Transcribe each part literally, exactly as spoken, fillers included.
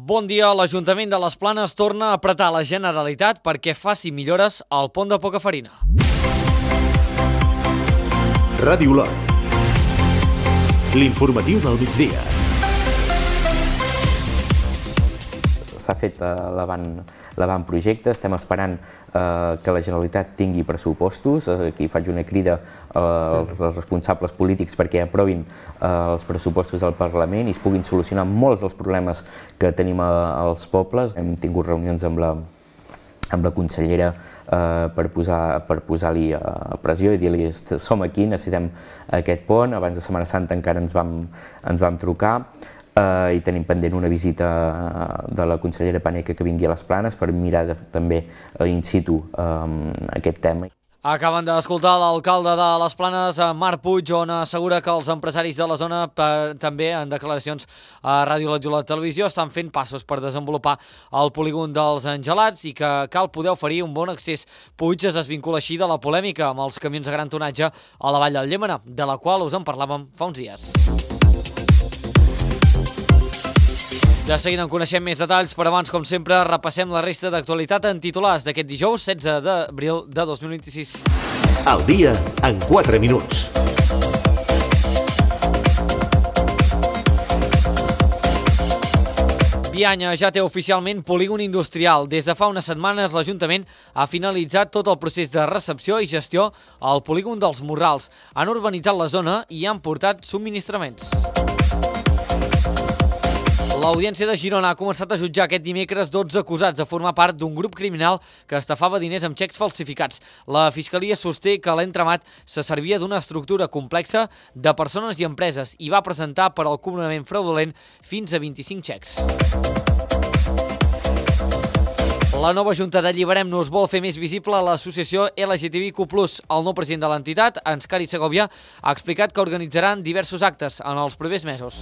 Bon dia. L'Ajuntament de les Planes torna a apretar la Generalitat perquè faci millores al pont de Pocafarina. Ràdio Olot. L'informatiu del migdia. S'ha fet l'avantprojecte, estem esperant que la Generalitat tingui pressupostos. Aquí faig una crida als responsables polítics perquè aprovin els pressupostos del Parlament i es puguin solucionar molts dels problemes que tenim als pobles. Hem tingut reunions amb la amb la consellera per posar-li pressió i dir-li som aquí, necessitem aquest pont. Abans de Setmana Santa encara ens vam trucar i tenim pendent una visita de la consellera Paneque que vingui a les Planes per mirar també in situ aquest tema. Acaben d'escoltar l'alcalde de les Planes, Marc Puig, on assegura que els empresaris de la zona, també en declaracions a Ràdio Olot i Olot Televisió, estan fent passos per desenvolupar el polígon dels Angelats i que cal poder oferir un bon accés. Puig es desvincula així de la polèmica amb els camions de gran tonatge a la Vall del Llémena, de la qual us en parlàvem fa uns dies. De seguida en coneixem més detalls, però abans, com sempre, repassem la resta d'actualitat en titulars d'aquest dijous setze d'abril de dos mil vint-i-sis. El dia en quatre minuts. Bianya ja té oficialment polígon industrial. Des de fa unes setmanes l'Ajuntament ha finalitzat tot el procés de recepció i gestió al polígon dels Morrals. Han urbanitzat la zona i han portat subministraments. L'Audiència de Girona ha començat a jutjar aquest dimecres dotze acusats de formar part d'un grup criminal que estafava diners amb xecs falsificats. La Fiscalia sosté que l'entramat se servia d'una estructura complexa de persones i empreses i va presentar per al cobrament fraudulent fins a vint-i-cinc xecs. La nova Junta d'Alliberem-nos vol fer més visible l'associació L G T B Q plus. El nou president de l'entitat, Anscari Segovia, ha explicat que organitzaran diversos actes en els propers mesos.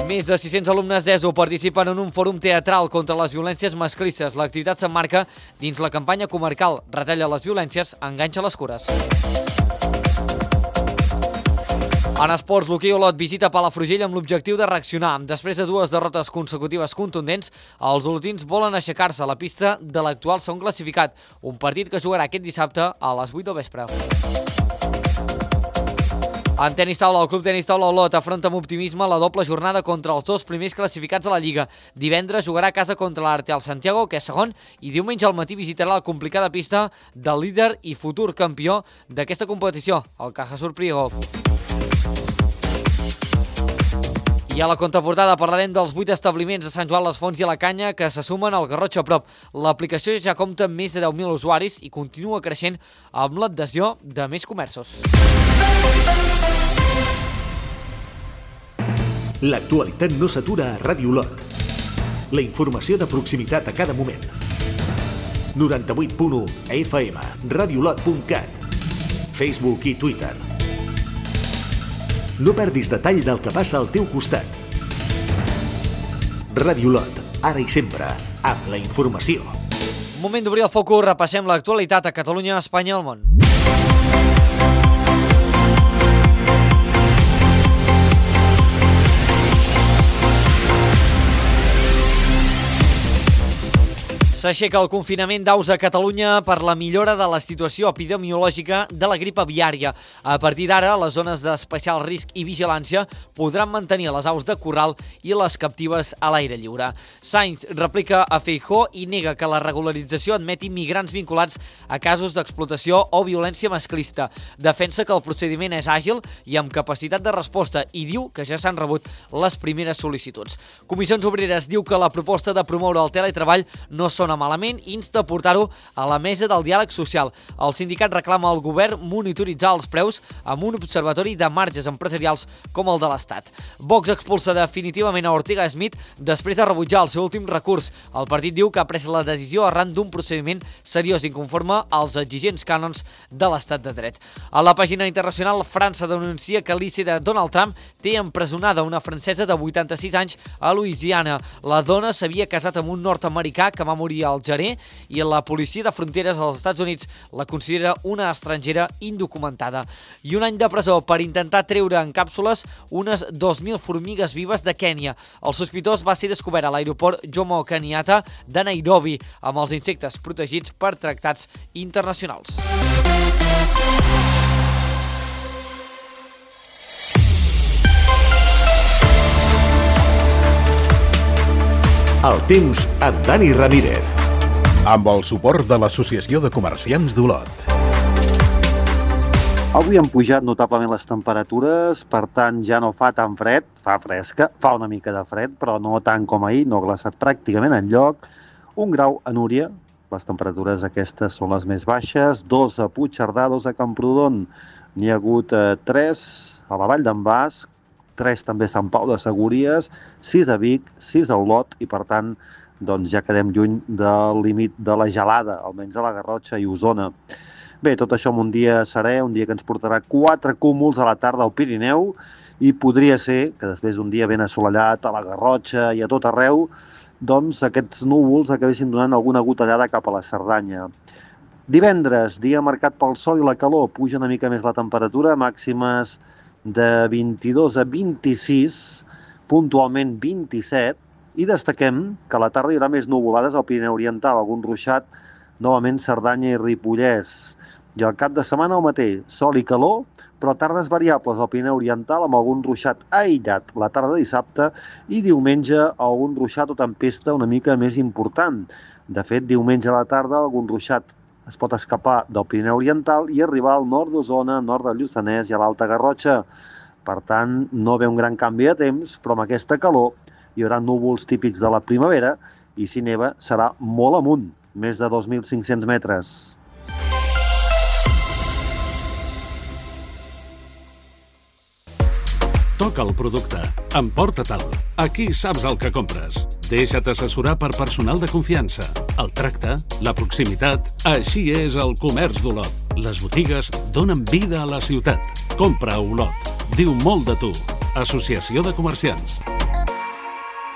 Més de sis-cents alumnes d'E S O participen en un fòrum teatral contra les violències masclistes. L'activitat s'emmarca dins la campanya comarcal Retalla les violències, enganxa les cures. En esports, l'hoquei Olot visita Palafrugell amb l'objectiu de reaccionar. Després de dues derrotes consecutives contundents, els olotins volen aixecar-se a la pista de l'actual segon classificat, un partit que jugarà aquest dissabte a les vuit del vespre. En tenis taula, el Club Tenis Taula Olot afronta amb optimisme la doble jornada contra els dos primers classificats de la Lliga. Divendres jugarà a casa contra l'Arteal Santiago, que és segon, i diumenge al matí visitarà la complicada pista del líder i futur campió d'aquesta competició, el Cajasur Priego. I a la contraportada parlarem dels vuit establiments de Sant Joan les Fonts i a la Canya que se sumen al Garrotxa Prop. L'aplicació ja compta amb més de deu mil usuaris i continua creixent amb l'adhesió de més comerços. L'actualitat no s'atura a Ràdio Olot. La informació de proximitat a cada moment. noranta-vuit punt u F M, radiolot punt cat, Facebook i Twitter. No perdis detall del que passa al teu costat. Ràdio Olot, ara i sempre, amb la informació. Moment d'obrir el focus, repassem l'actualitat a Catalunya, Espanya i el món. S'aixeca el confinament d'aus a Catalunya per la millora de la situació epidemiològica de la grip aviària. A partir d'ara, les zones d'especial risc i vigilància podran mantenir les aus de corral i les captives a l'aire lliure. Sainz replica a Feijóo i nega que la regularització admeti migrants vinculats a casos d'explotació o violència masclista. Defensa que el procediment és àgil i amb capacitat de resposta i diu que ja s'han rebut les primeres sol·licituds. Comissions Obreres diu que la proposta de promoure el teletreball no són malament i insta a portar-ho a la mesa del diàleg social. El sindicat reclama al govern monitoritzar els preus amb un observatori de marges empresarials com el de l'Estat. Vox expulsa definitivament a Ortega Smith després de rebutjar el seu últim recurs. El partit diu que ha pres la decisió arran d'un procediment seriós i conforme als exigents cànons de l'Estat de dret. A la pàgina internacional, França denuncia que l'I C de Donald Trump té empresonada una francesa de vuitanta-sis anys a Louisiana. La dona s'havia casat amb un nord-americà que va morir l'exili al gener i la policia de fronteres dels Estats Units la considera una estrangera indocumentada. I un any de presó per intentar treure en càpsules unes dos mil formigues vives de Kènia. El sospitós va ser descobert a l'aeroport Jomo Kenyatta de Nairobi amb els insectes protegits per tractats internacionals. El temps amb Dani Ramírez. Amb el suport de l'Associació de Comerciants d'Olot. Avui han pujat notablement les temperatures, per tant ja no fa tan fred, fa fresca, fa una mica de fred, però no tant com ahir, no ha glaçat pràcticament enlloc. Un grau a Núria, les temperatures aquestes són les més baixes, dos a Puigcerdà, dos a Camprodon, n'hi ha hagut eh, tres a la Vall d'en Bas, tres també a Sant Pau de Segúries, sis a Vic, sis a Olot i per tant doncs ja quedem lluny del límit de la gelada, almenys a la Garrotxa i Osona. Bé, tot això en un dia serè, un dia que ens portarà quatre cúmuls a la tarda al Pirineu i podria ser que després d'un dia ben assolellat a la Garrotxa i a tot arreu, doncs aquests núvols acabessin donant alguna gotellada cap a la Cerdanya. Divendres, dia marcat pel sol i la calor, puja una mica més la temperatura, màximes de vint-i-dos a vint-i-sis, puntualment vint-i-set, i destaquem que a la tarda hi haurà més nuvolades al Pirineu Oriental, algun ruixat, novament Cerdanya i Ripollès. I al cap de setmana el mateix, sol i calor, però tardes variables al Pirineu Oriental amb algun ruixat aïllat la tarda de dissabte i diumenge algun ruixat o tempesta una mica més important. De fet, diumenge a la tarda algun ruixat es pot escapar del Pirineu Oriental i arribar al nord d'Osona, nord del Lluçanès i a l'Alta Garrotxa. Per tant, no ve un gran canvi de temps, però amb aquesta calor hi haurà núvols típics de la primavera i si neva serà molt amunt, més de dos mil cinc-cents metres. Toca el producte, emporta-te'l. Aquí saps el que compres. Deixa't assessorar per personal de confiança. El tracte, la proximitat, així és el comerç d'Olot. Les botigues donen vida a la ciutat. Compra a Olot. Diu molt de tu. Associació de Comerciants.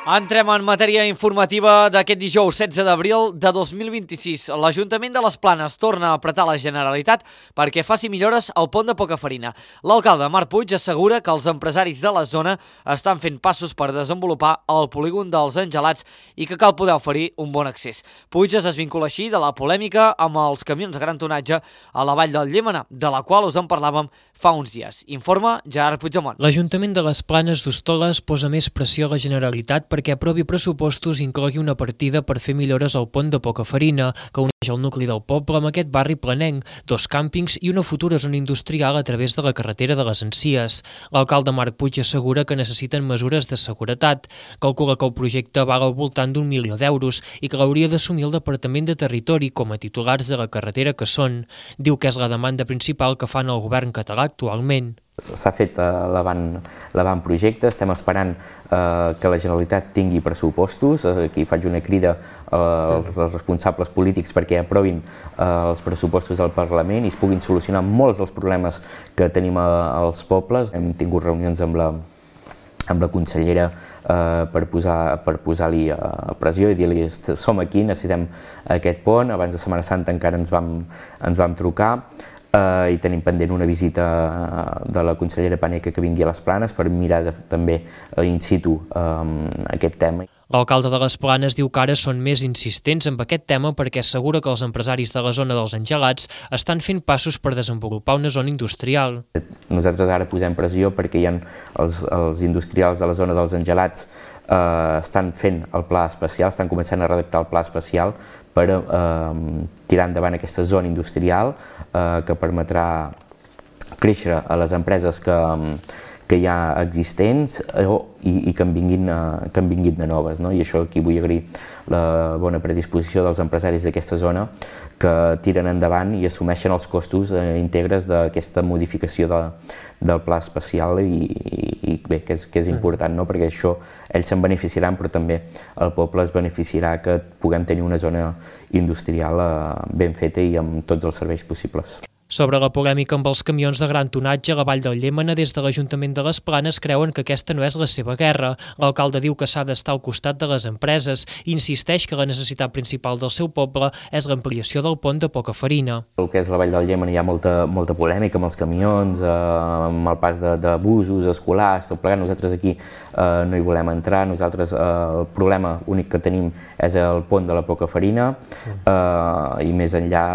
Entrem en matèria informativa d'aquest dijous setze d'abril de dos mil vint-i-sis. L'Ajuntament de les Planes torna a apretar la Generalitat perquè faci millores al pont de Pocafarina. L'alcalde Marc Puig assegura que els empresaris de la zona estan fent passos per desenvolupar el polígon dels Angelats i que cal poder oferir un bon accés. Puig es desvincula així de la polèmica amb els camions de gran tonatge a la vall del Llémena, de la qual us en parlàvem fa uns dies. Informa Gerard Puigdemont. L'Ajuntament de les Planes d'Hostoles posa més pressió a la Generalitat perquè aprovi pressupostos i inclogui una partida per fer millores al pont de Pocafarina, que uneix el nucli del poble amb aquest barri planenc, dos càmpings i una futura zona industrial a través de la carretera de les Encies. L'alcalde Marc Puig assegura que necessiten mesures de seguretat. Calcula que el projecte val al voltant d'un milió d'euros i que l'hauria d'assumir el Departament de Territori com a titulars de la carretera que són. Diu que és la demanda principal que fan el govern català actualment. S'ha fet l'avantprojecte, estem esperant eh, que la Generalitat tingui pressupostos. Aquí faig una crida als responsables polítics perquè aprovin eh, els pressupostos del Parlament i es puguin solucionar molts dels problemes que tenim als pobles. Hem tingut reunions amb la amb la consellera eh, per posar per posar-li eh, pressió i dir-li som aquí, necessitem aquest pont. Abans de Setmana Santa encara ens vam, ens vam trucar. Uh, i tenim pendent una visita de la consellera Paneque que vingui a les Planes per mirar de, també uh, in situ um, aquest tema. L'alcalde de les Planes diu que ara són més insistents amb aquest tema perquè assegura que els empresaris de la zona dels Angelats estan fent passos per desenvolupar una zona industrial. Nosaltres ara posem pressió perquè hi ha els, els industrials de la zona dels Angelats eh, estan fent el pla especial, estan començant a redactar el pla especial per eh, tirar endavant aquesta zona industrial eh, que permetrà créixer a les empreses que, que hi ha existents eh, i, i que, en vinguin, eh, que en vinguin de noves. No? I això aquí vull agrair la bona predisposició dels empresaris d'aquesta zona que tiren endavant i assumeixen els costos eh, íntegres d'aquesta modificació de, del pla especial i, i, i bé, que és, que és important, no? Perquè això ells se'n beneficiaran, però també el poble es beneficiarà que puguem tenir una zona industrial eh, ben feta i amb tots els serveis possibles. Sobre la polèmica amb els camions de gran tonatge a la Vall del Llémena, des de l'Ajuntament de les Planes creuen que aquesta no és la seva guerra. L'alcalde diu que s'ha d'estar al costat de les empreses i insisteix que la necessitat principal del seu poble és l'ampliació del pont de Pocafarina. El que és la Vall del Llémena hi ha molta, molta polèmica amb els camions, eh, amb el pas de, de busos escolars, tot plegat. Nosaltres aquí eh, no hi volem entrar. Nosaltres eh, el problema únic que tenim és el pont de la Pocafarina eh, i més enllà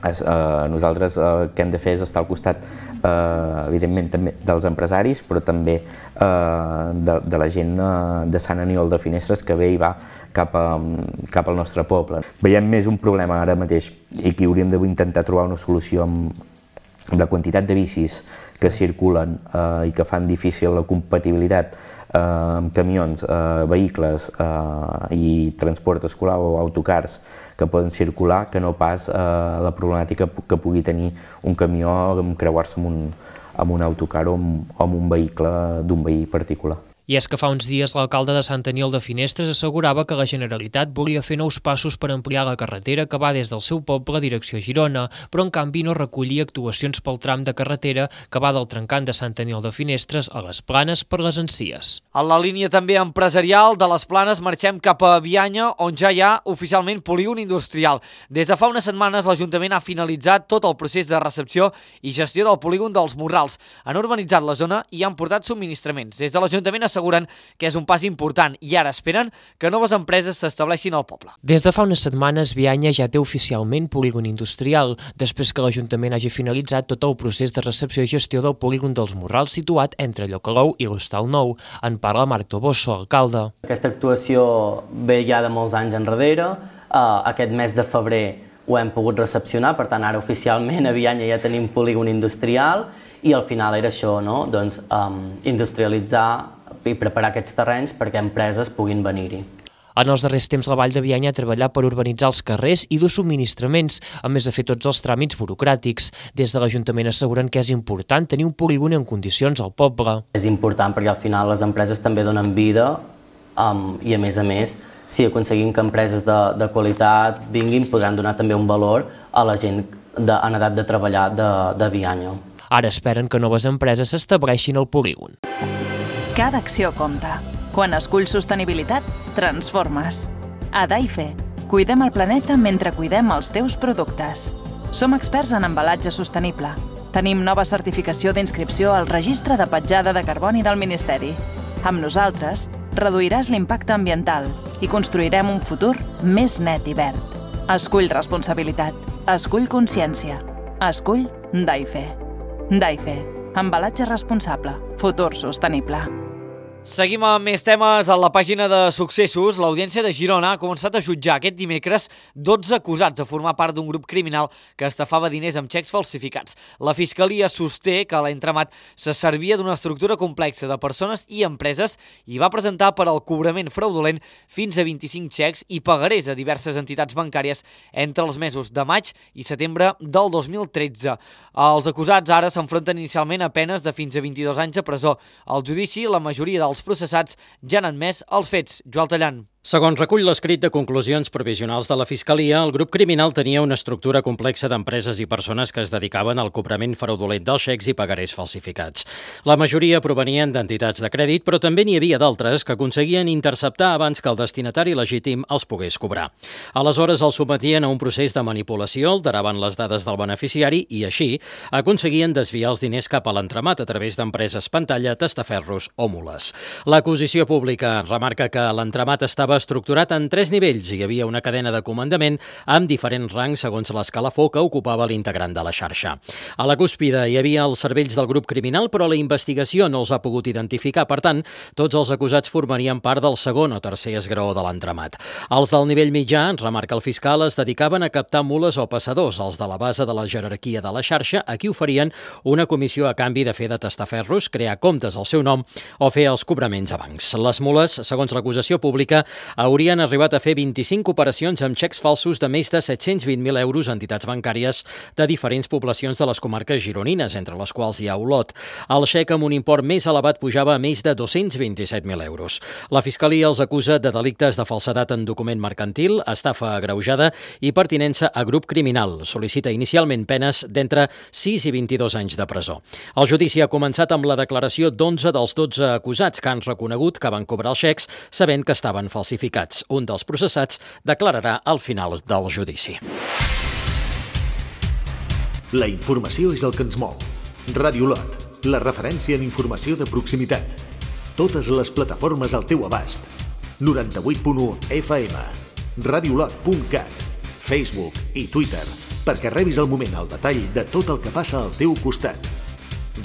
Es, eh, nosaltres eh, el que hem de fer és estar al costat, eh, evidentment, també dels empresaris, però també eh, de, de la gent eh, de Sant Aniol de Finestres que ve i va cap, a, cap al nostre poble. Veiem més un problema ara mateix i que hauríem d'intentar trobar una solució amb, amb la quantitat de bicis que circulen eh, i que fan difícil la compatibilitat eh, amb camions, eh, vehicles eh, i transport escolar o autocars que poden circular, que no pas eh, la problemàtica que pugui tenir un camió amb creuar-se amb, un, amb un autocar o amb, o amb un vehicle d'un veí particular. I és que fa uns dies l'alcalde de Sant Aniol de Finestres assegurava que la Generalitat volia fer nous passos per ampliar la carretera que va des del seu poble a direcció Girona, però en canvi no recollia actuacions pel tram de carretera que va del trencant de Sant Aniol de Finestres a les Planes per les Encies. En la línia també empresarial de les Planes marxem cap a Bianya, on ja hi ha oficialment polígon industrial. Des de fa unes setmanes l'Ajuntament ha finalitzat tot el procés de recepció i gestió del polígon dels Morrals. Han urbanitzat la zona i han portat subministraments. Des de l'Ajuntament asseguren que és un pas important i ara esperen que noves empreses s'estableixin al poble. Des de fa unes setmanes, Bianya ja té oficialment polígon industrial, després que l'Ajuntament hagi finalitzat tot el procés de recepció i gestió del polígon dels Morrals situat entre Llocalou i l'Hostal Nou. En parla Marc Toboso, alcalde. Aquesta actuació ve ja de molts anys enrere. Uh, aquest mes de febrer ho hem pogut recepcionar, per tant ara oficialment a Bianya ja tenim polígon industrial i al final era això, no? Doncs, um, industrialitzar i preparar aquests terrenys perquè empreses puguin venir-hi. En els darrers temps, la Vall de Bianya ha treballat per urbanitzar els carrers i dur subministraments, a més de fer tots els tràmits burocràtics. Des de l'Ajuntament asseguren que és important tenir un polígon en condicions al poble. És important perquè al final les empreses també donen vida um, i a més a més, si aconseguim que empreses de, de qualitat vinguin, podran donar també un valor a la gent de, en edat de treballar de, de Bianya. Ara esperen que noves empreses s'estableixin al polígon. Cada acció compta. Quan esculls sostenibilitat, transformes. A Daife, cuidem el planeta mentre cuidem els teus productes. Som experts en embalatge sostenible. Tenim nova certificació d'inscripció al Registre de Petjada de Carboni del Ministeri. Amb nosaltres, reduiràs l'impacte ambiental i construirem un futur més net i verd. Escull responsabilitat. Escull consciència. Escull Daife. Daife. Embalatge responsable. Futur sostenible. Seguim amb més temes. A la pàgina de successos, l'Audiència de Girona ha començat a jutjar aquest dimecres dotze acusats de formar part d'un grup criminal que estafava diners amb xecs falsificats. La Fiscalia sosté que l'entramat se servia d'una estructura complexa de persones i empreses i va presentar per al cobrament fraudulent fins a vint-i-cinc xecs i pagarés a diverses entitats bancàries entre els mesos de maig i setembre del dos mil tretze. Els acusats ara s'enfronten inicialment a penes de fins a vint-i-dos anys de presó. Al judici, la majoria dels Els processats ja han admès els fets. Joel Tallant. Segons recull l'escrit de conclusions provisionals de la Fiscalia, el grup criminal tenia una estructura complexa d'empreses i persones que es dedicaven al cobrament fraudulent dels xecs i pagarés falsificats. La majoria provenien d'entitats de crèdit, però també n'hi havia d'altres que aconseguien interceptar abans que el destinatari legítim els pogués cobrar. Aleshores els sotmetien a un procés de manipulació, alteraven les dades del beneficiari i així aconseguien desviar els diners cap a l'entramat a través d'empreses pantalla, testaferros o mules. L'acusació pública remarca que l'entramat estava estructurat en tres nivells. Hi havia una cadena de comandament amb diferents rangs segons l'escalafó que ocupava l'integrant de la xarxa. A la cúspide hi havia els cervells del grup criminal, però la investigació no els ha pogut identificar. Per tant, tots els acusats formarien part del segon o tercer esgraó de l'entramat. Els del nivell mitjà, remarca el fiscal, es dedicaven a captar mules o passadors. Els de la base de la jerarquia de la xarxa, a qui oferien una comissió a canvi de fer de testaferros, crear comptes al seu nom o fer els cobraments a bancs. Les mules, segons l'acusació pública, haurien arribat a fer vint-i-cinc operacions amb xecs falsos de més de set-cents vint mil euros a entitats bancàries de diferents poblacions de les comarques gironines, entre les quals hi ha Olot. El xec amb un import més elevat pujava a més de dos-cents vint-i-set mil euros. La Fiscalia els acusa de delictes de falsedat en document mercantil, estafa agreujada i pertinença a grup criminal. Sol·licita inicialment penes d'entre sis i vint-i-dos anys de presó. El judici ha començat amb la declaració d'onze dels dotze acusats que han reconegut que van cobrar els xecs sabent que estaven falsificats. Un dels processats declararà al final del judici. La informació és el que ens mou. Ràdio Lot, la referència en informació de proximitat. Totes les plataformes al teu abast. noranta-vuit punt u F M, radiolot punt cat, Facebook i Twitter, perquè rebis al moment el detall de tot el que passa al teu costat.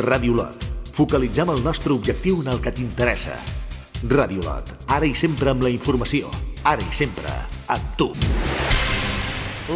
Ràdio Lot. Focalitzem el nostre objectiu en el que t'interessa. Ràdio Lot. Ara i sempre amb la informació. Ara i sempre amb tu.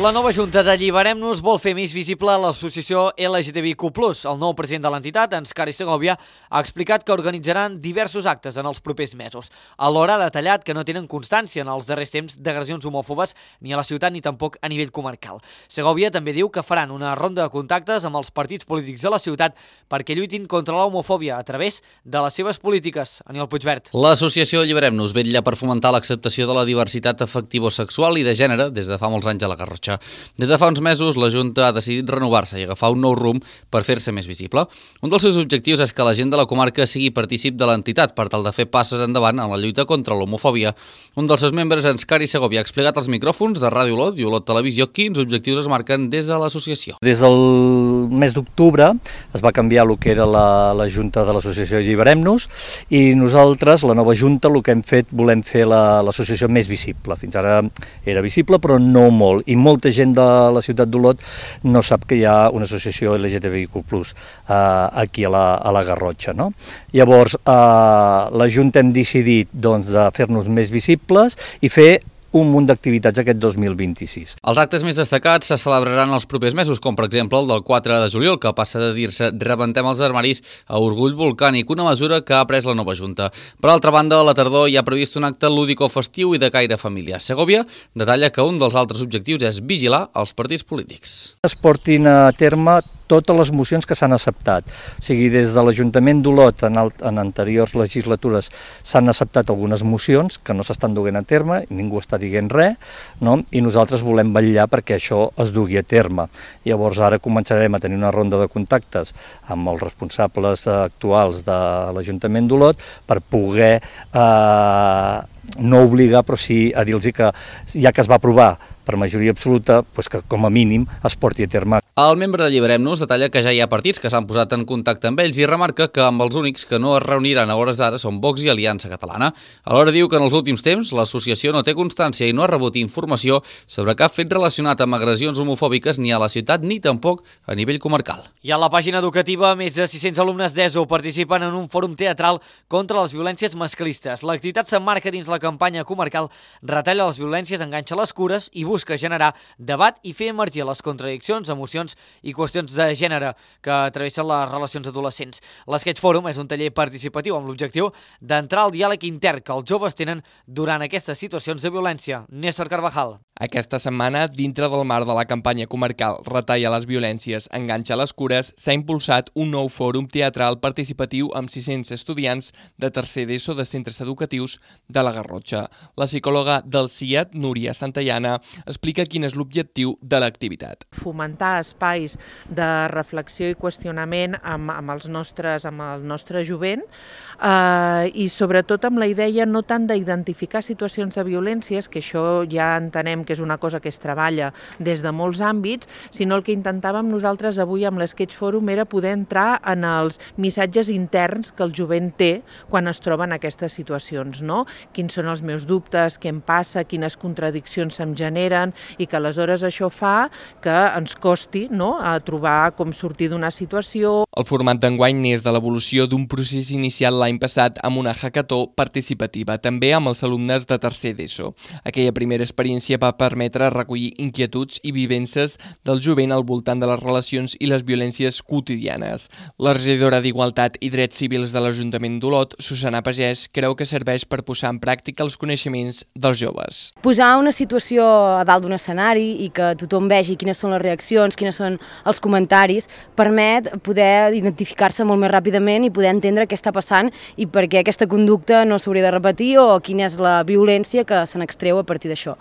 La nova Junta d'Alliberem-nos vol fer més visible l'associació L G T B Q plus. El nou president de l'entitat, Enscari Segovia, ha explicat que organitzaran diversos actes en els propers mesos. Alhora ha detallat que no tenen constància en els darrers temps d'agressions homòfobes ni a la ciutat ni tampoc a nivell comarcal. Segovia també diu que faran una ronda de contactes amb els partits polítics de la ciutat perquè lluitin contra l'homofòbia a través de les seves polítiques. Aniol Puigvert. L'associació Alliberem-nos vetlla per fomentar l'acceptació de la diversitat afectivo-sexual i de gènere des de fa molts anys a la Garrotxa. Des de fa uns mesos, la Junta ha decidit renovar-se i agafar un nou rumb per fer-se més visible. Un dels seus objectius és que la gent de la comarca sigui partícip de l'entitat per tal de fer passes endavant en la lluita contra l'homofòbia. Un dels seus membres, Enscari Segovia, ha explicat als micròfons de Ràdio Olot i Olot Televisió quins objectius es marquen des de l'associació. Des del mes d'octubre es va canviar el que era la, la Junta de l'associació Alliberem-nos i nosaltres, la nova Junta, el que hem fet, volem fer l'associació més visible. Fins ara era visible, però no molt. I molt molta gent de la ciutat d'Olot no sap que hi ha una associació L G T B Q plus eh, aquí a la, a la Garrotxa, no? Llavors, eh, la Junta hem decidit doncs, de fer-nos més visibles i fer un munt d'activitats aquest dos mil vint-i-sis. Els actes més destacats se celebraran els propers mesos, com per exemple el del quatre de juliol, que passa de dir-se Rebentem els armaris a Orgull Volcànic, una mesura que ha pres la nova Junta. Per altra banda, a la tardor hi ha previst un acte lúdico-festiu i de caire familiar. Segovia detalla que un dels altres objectius és vigilar els partits polítics. Es portin a terme totes les mocions que s'han acceptat. O sigui, des de l'Ajuntament d'Olot en, en anteriors legislatures s'han acceptat algunes mocions que no s'estan duent a terme, ningú està dient res, no? I nosaltres volem vetllar perquè això es dugui a terme. Llavors ara començarem a tenir una ronda de contactes amb els responsables actuals de l'Ajuntament d'Olot per poder eh, no obligar, però sí a dir-los que ja que es va aprovar per majoria absoluta, doncs que com a mínim es porti a terme. El membre d'Alliberem-nos detalla que ja hi ha partits que s'han posat en contacte amb ells i remarca que amb els únics que no es reuniran a hores d'ara són Vox i Aliança Catalana. Alhora diu que en els últims temps l'associació no té constància i no ha rebut informació sobre cap fet relacionat amb agressions homofòbiques ni a la ciutat ni tampoc a nivell comarcal. I a la pàgina educativa, més de sis-cents alumnes d'ESO participen en un fòrum teatral contra les violències masclistes. L'activitat s'emmarca dins la campanya comarcal Retalla les violències, enganxa les cures i busca generar debat i fer emergir les contradiccions, emocions i qüestions de gènere que travessen les relacions adolescents. L'Sketch Forum és un taller participatiu amb l'objectiu d'entrar al diàleg intern que els joves tenen durant aquestes situacions de violència. Néstor Carvajal. Aquesta setmana, dintre del marc de la campanya comarcal Retalla les violències, enganxa les cures, s'ha impulsat un nou fòrum teatral participatiu amb sis-cents estudiants de tercer d'ESO de centres educatius de la Garrotxa. La psicòloga del C I A T, Núria Santayana, explica quin és l'objectiu de l'activitat. Fomentar espais de reflexió i qüestionament amb, amb, els nostres, amb el nostre jovent eh, i sobretot amb la idea no tant d'identificar situacions de violències, que això ja entenem que és una cosa que es treballa des de molts àmbits, sinó el que intentàvem nosaltres avui amb l'Sketch Forum era poder entrar en els missatges interns que el jovent té quan es troba en aquestes situacions, no? Quins són els meus dubtes, què em passa, quines contradiccions se'm generen, generen i que aleshores això fa que ens costi, no?, a trobar com sortir d'una situació. El format d'enguany neix de l'evolució d'un procés inicial l'any passat amb una hackathó participativa, també amb els alumnes de tercer d'ESO. Aquella primera experiència va permetre recollir inquietuds i vivències del jovent al voltant de les relacions i les violències quotidianes. La regidora d'Igualtat i Drets Civils de l'Ajuntament d'Olot, Susana Pagès, creu que serveix per posar en pràctica els coneixements dels joves. Posar una situació a dalt d'un escenari i que tothom vegi quines són les reaccions, quines són els comentaris, permet poder identificar-se molt més ràpidament i poder entendre què està passant i per què aquesta conducta no s'hauria de repetir o quina és la violència que se n'extreu a partir d'això.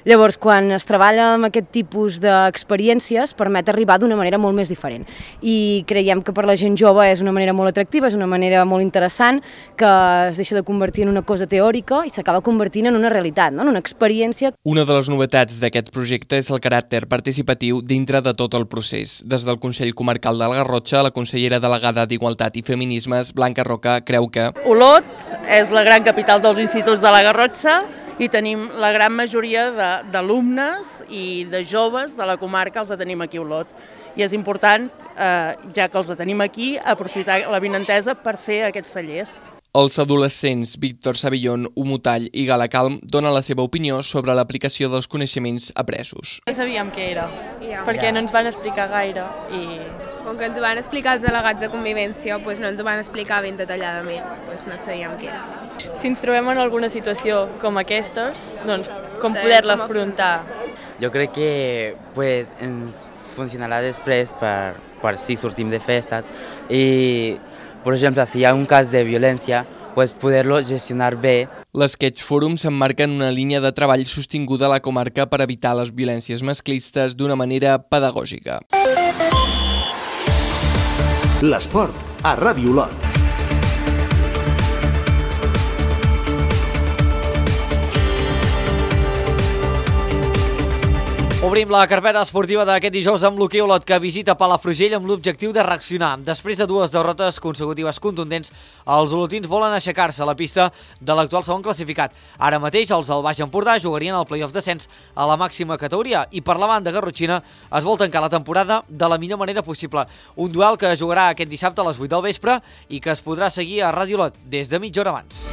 Llavors, quan es treballa amb aquest tipus d'experiències, permet arribar d'una manera molt més diferent. I creiem que per la gent jove és una manera molt atractiva, és una manera molt interessant, que es deixa de convertir en una cosa teòrica i s'acaba convertint en una realitat, no? En una experiència. Una de les novetats d'aquest projecte és el caràcter participatiu dintre de tot el procés. Des del Consell Comarcal de la Garrotxa, la consellera delegada d'Igualtat i Feminismes, Blanca Roca, creu que Olot és la gran capital dels instituts de la Garrotxa i tenim la gran majoria d'alumnes i de joves de la comarca, els tenim aquí a Olot. I és important, eh, ja que els tenim aquí, aprofitar l'avinentesa per fer aquests tallers. Els adolescents Víctor Savillón, Umutall i Gala Calm donen la seva opinió sobre l'aplicació dels coneixements apresos. No sabíem què era, perquè no ens van explicar gaire i... Com que ens ho van explicar els delegats de convivència, doncs no ens ho van explicar ben detalladament, doncs no sabíem què era. Si ens trobem en alguna situació com aquestes, doncs com poder-la afrontar. Jo crec que pues, ens funcionarà després per, per si sortim de festes i, per exemple, si hi ha un cas de violència, pues, poder-lo gestionar bé. L'Sketch Forum s'emmarca en una línia de treball sostinguda a la comarca per evitar les violències masclistes d'una manera pedagògica. L'esport a Ràdio Olot. Obrim la carpeta esportiva d'aquest dijous amb l'hoquei Olot, que visita Palafrugell amb l'objectiu de reaccionar. Després de dues derrotes consecutives contundents, els olotins volen aixecar-se a la pista de l'actual segon classificat. Ara mateix els del Baix Empordà jugarien el play-off descens a la màxima categoria i per la banda garrotxina es vol tancar la temporada de la millor manera possible. Un duel que jugarà aquest dissabte a les vuit del vespre i que es podrà seguir a Ràdio Olot des de mitja hora abans.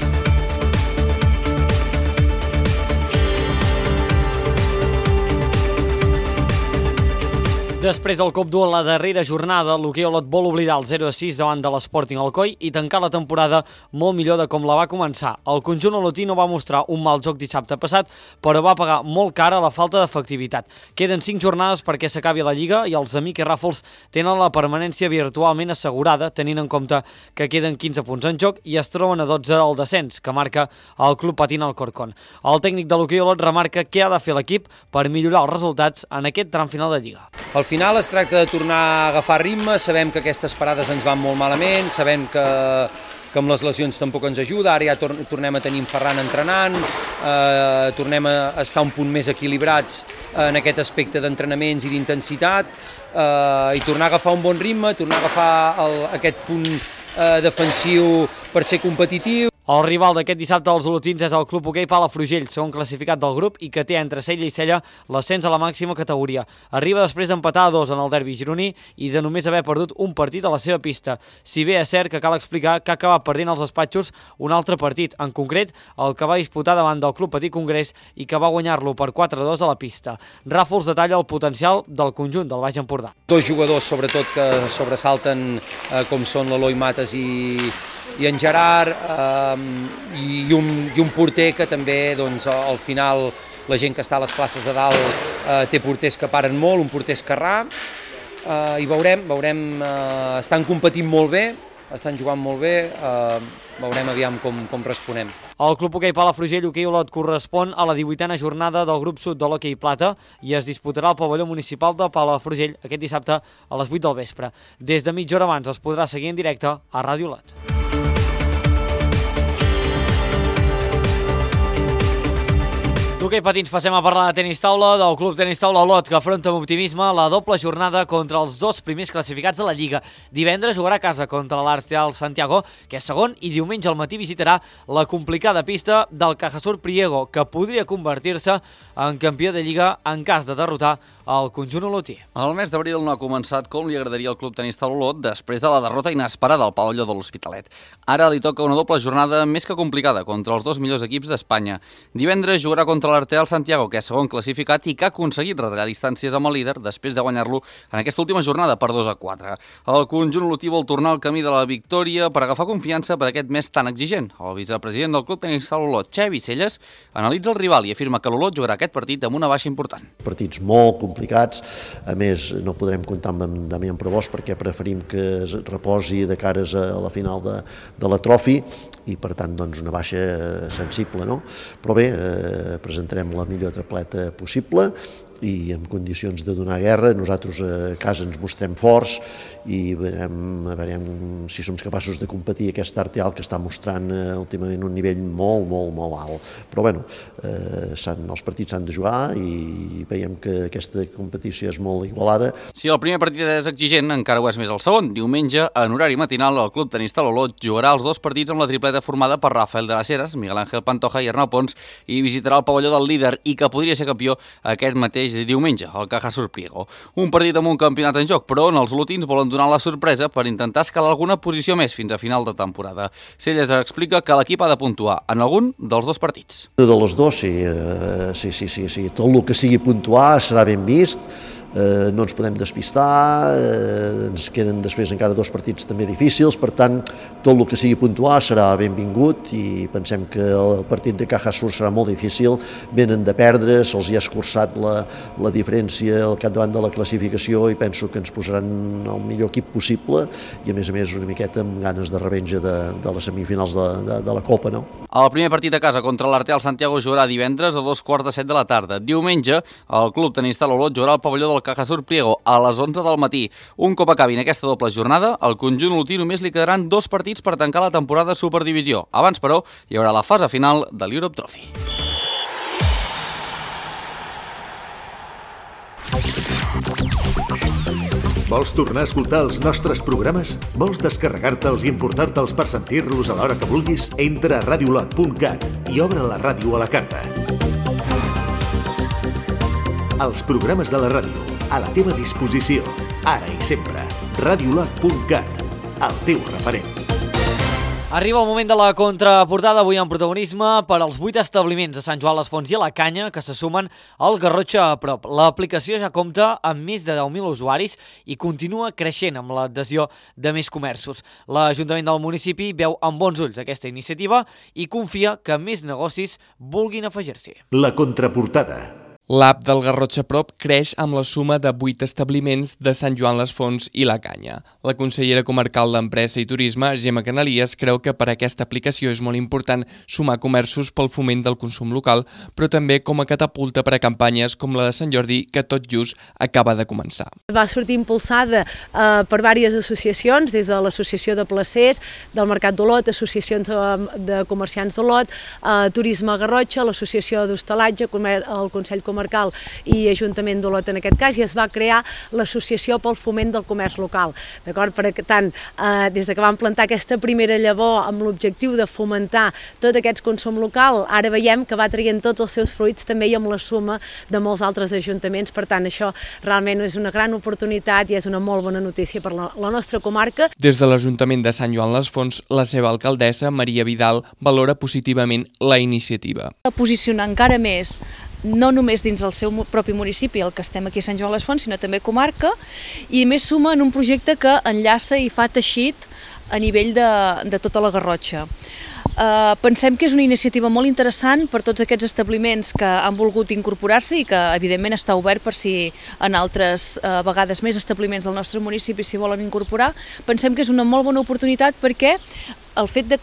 Després del cop dur a la darrera jornada, l'hoquei Olot vol oblidar el zero a sis davant de l'Sporting Alcoi i tancar la temporada molt millor de com la va començar. El conjunt olotí no va mostrar un mal joc dissabte passat, però va pagar molt cara la falta d'efectivitat. Queden cinc jornades perquè s'acabi la Lliga i els amics i Ràfols tenen la permanència virtualment assegurada, tenint en compte que queden quinze punts en joc i es troben a dotze al descens, que marca el Club Patint Alcorcón. El tècnic de l'hoquei Olot remarca què ha de fer l'equip per millorar els resultats en aquest tram final de Lliga. Al final es tracta de tornar a agafar ritme, sabem que aquestes parades ens van molt malament, sabem que, que amb les lesions tampoc ens ajuda, ara ja tor tornem a tenir en Ferran entrenant, eh, tornem a estar un punt més equilibrats en aquest aspecte d'entrenaments i d'intensitat, eh, i tornar a agafar un bon ritme, tornar a agafar el, aquest punt eh, defensiu per ser competitiu. El rival d'aquest dissabte dels olotins és el Club Hoquei Palafrugell, segon classificat del grup i que té entre cella i cella l'ascens a la màxima categoria. Arriba després d'empatar a dos en el derbi gironí i de només haver perdut un partit a la seva pista. Si bé és cert que cal explicar que ha acabat perdent als despatxos un altre partit, en concret el que va disputar davant del Club Petit Congrés i que va guanyar-lo per quatre a dos a la pista. Ràfols detalla el potencial del conjunt del Baix Empordà. Dos jugadors sobretot que sobresalten eh, com són l'Eloi Mates i i en Gerard, eh, i, un, i un porter que també doncs, al final la gent que està a les places de dalt eh, té porters que paren molt, un porter esquerrà, eh, i veurem, veurem eh, estan competint molt bé, estan jugant molt bé, eh, veurem aviam com, com responem. El Club Hoquei Palafrugell Hoquei Olot correspon a la divuitena jornada del grup sud de l'Hoquei Plata i es disputarà al pavelló municipal de Palafrugell aquest dissabte a les vuit del vespre. Des de mitja hora abans es podrà seguir en directe a Ràdio Olot. D'hoquei patins passem a parlar de tenis taula, del Club Tenis Taula Olot, que afronta amb optimisme la doble jornada contra els dos primers classificats de la Lliga. Divendres jugarà a casa contra l'Arteal Santiago, que és segon, i diumenge al matí visitarà la complicada pista del Cajasur Priego, que podria convertir-se en campió de Lliga en cas de derrotar el conjunt olotí. El mes d'abril no ha començat com li agradaria al Club Tenis Taula Olot després de la derrota inesperada al pavelló de l'Hospitalet. Ara li toca una doble jornada més que complicada contra els dos millors equips d'Espanya. Divendres jugarà contra l'Arteal Santiago, que és segon classificat i que ha aconseguit retallar distàncies amb el líder després de guanyar-lo en aquesta última jornada per dos a quatre. El conjunt olotí vol tornar al camí de la victòria per agafar confiança per aquest mes tan exigent. El vicepresident del Club Tenis Taula Olot, Xavi Celles, analitza el rival i afirma que l'Olot jugarà aquest partit amb una baixa important. Partits molt complicats, a més no podrem comptar amb Damián Provost perquè preferim que es reposi de cares a la final de, de la Trofi i per tant doncs una baixa sensible, no? Però bé, eh, presentarem la millor tripleta possible i en condicions de donar guerra. Nosaltres a casa ens mostrem forts i veurem, veurem si som capaços de competir aquest Arteal que està mostrant eh, últimament un nivell molt, molt, molt alt. Però bueno, eh, els partits s'han de jugar i veiem que aquesta competició és molt igualada. Si el primer partit és exigent, encara ho és més el segon. Diumenge, en horari matinal, el Club Tenis Taula Olot jugarà els dos partits amb la tripleta formada per Rafael de las Heras, Miguel Ángel Pantoja i Arnau Pons i visitarà el pavelló del líder i que podria ser campió aquest mateix de diumenge, el Cajasur Priego. Un partit amb un campionat en joc, però on els olotins volen donar la sorpresa per intentar escalar alguna posició més fins a final de temporada. Celles explica que l'equip ha de puntuar en algun dels dos partits. De los dos, sí, eh, sí, sí, sí, sí. Tot el que sigui puntuar serà ben vist. Eh, no ens podem despistar, eh, ens queden després encara dos partits també difícils, per tant, tot el que sigui puntuar serà benvingut i pensem que el partit de Cajasur serà molt difícil, venen de perdre, se'ls hi ha escurçat la, la diferència al capdavant de la classificació i penso que ens posaran el millor equip possible i a més a més una miqueta amb ganes de revenja de, de les semifinals de, de, de la Copa, no? El primer partit a casa contra l'Arteal Santiago jugarà divendres a dos quarts de set de la tarda. Diumenge, el Club Tenis Taula Olot jugarà al pavelló del Cajasur Priego a les onze del matí. Un cop acabin aquesta doble jornada, al conjunt olotí només li quedaran dos partits per tancar la temporada de Superdivisió. Abans, però, hi haurà la fase final de l'Europe Trophy. Vols tornar a escoltar els nostres programes? Vols descarregar-te'ls i importar-te'ls per sentir-los a l'hora que vulguis? Entra a radiolot punt cat i obre la ràdio a la carta. Els programes de la ràdio, a la teva disposició, ara i sempre. radiolot punt cat, el teu referent. Arriba el moment de la contraportada, avui en protagonisme per als vuit establiments de Sant Joan les Fonts i a la Canya que se sumen al Garrotxa a prop. L'aplicació ja compta amb més de deu mil usuaris i continua creixent amb l'adhesió de més comerços. L'Ajuntament del municipi veu amb bons ulls aquesta iniciativa i confia que més negocis vulguin afegir-s'hi. La contraportada. L'app del Garrotxa Prop creix amb la suma de vuit establiments de Sant Joan les Fonts i la Canya. La consellera comarcal d'Empresa i Turisme, Gemma Canalies, creu que per aquesta aplicació és molt important sumar comerços pel foment del consum local, però també com a catapulta per a campanyes com la de Sant Jordi, que tot just acaba de començar. Va sortir impulsada eh, per diverses associacions, des de l'Associació de Placers, del Mercat d'Olot, associacions de comerciants d'Olot, eh, Turisme Garrotxa, l'Associació d'Hostalatge, el Consell Comarcal Comarcal i Ajuntament d'Olot en aquest cas, i es va crear l'Associació pel Foment del Comerç Local. D'acord? Per tant, eh, des de que vam plantar aquesta primera llavor amb l'objectiu de fomentar tot aquest consum local, ara veiem que va traient tots els seus fruits també i amb la suma de molts altres ajuntaments. Per tant, això realment és una gran oportunitat i és una molt bona notícia per la, la nostra comarca. Des de l'Ajuntament de Sant Joan les Fonts, la seva alcaldessa, Maria Vidal, valora positivament la iniciativa. Posicionar encara més no només dins el seu propi municipi, el que estem aquí a Sant Joan les Fonts, sinó també comarca, i més suma en un projecte que enllaça i fa teixit a nivell de, de tota la Garrotxa. Uh, pensem que és una iniciativa molt interessant per tots aquests establiments que han volgut incorporar-se i que evidentment està obert per si en altres uh, vegades més establiments del nostre municipi s'hi volen incorporar. Pensem que és una molt bona oportunitat perquè el fet de,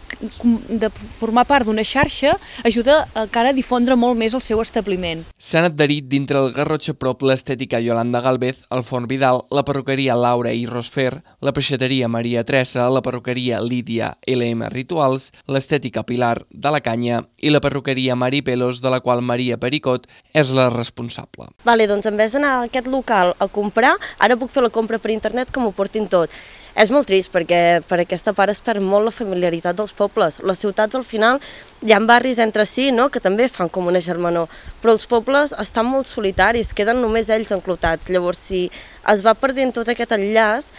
de formar part d'una xarxa ajuda encara a difondre molt més el seu establiment. S'han adherit dintre el Garrotxa Prop l'estètica Yolanda Galvez, el Forn Vidal, la perruqueria Laura i Rosfer, la peixateria Maria Tressa, la perruqueria Lídia L M Rituals, l'estètica Pilar de la Canya i la perruqueria Mari Pelos, de la qual Maria Pericot és la responsable. Vale, doncs en vez d'anar a aquest local a comprar, ara puc fer la compra per internet que m'ho portin tot. És molt trist perquè per aquesta part es perd molt la familiaritat dels pobles. Les ciutats al final hi ha barris entre si, no?, que també fan com una germanor, però els pobles estan molt solitaris, queden només ells enclotats. Llavors, si es va perdent tot aquest enllaç,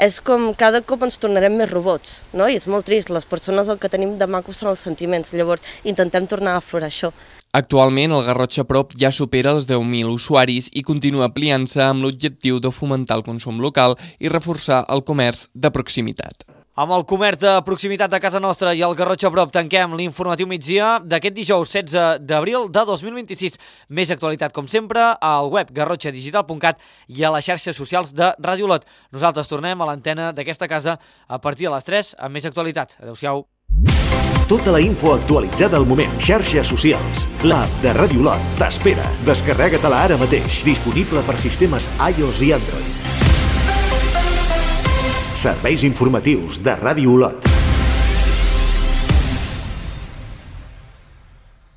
és com cada cop ens tornarem més robots, no? I és molt trist, les persones el que tenim de maco són els sentiments, llavors intentem tornar a aflorar això. Actualment, el Garrotxa Prop ja supera els deu mil usuaris i continua ampliant-se amb l'objectiu de fomentar el consum local i reforçar el comerç de proximitat. Amb el comerç de proximitat de casa nostra i el Garrotxa Prop tanquem l'informatiu migdia d'aquest dijous setze d'abril de dos mil vint-i-sis. Més actualitat, com sempre, al web garrotxa digital punt cat i a les xarxes socials de Ràdio Olot. Nosaltres tornem a l'antena d'aquesta casa a partir de les tres amb més actualitat. Adéu-siau. Tota la info actualitzada al moment. Xarxes socials. L'app de Ràdio Olot t'espera. Descarrega-te-la ara mateix. Disponible per sistemes iOS i Android. Serveis informatius de Ràdio Olot.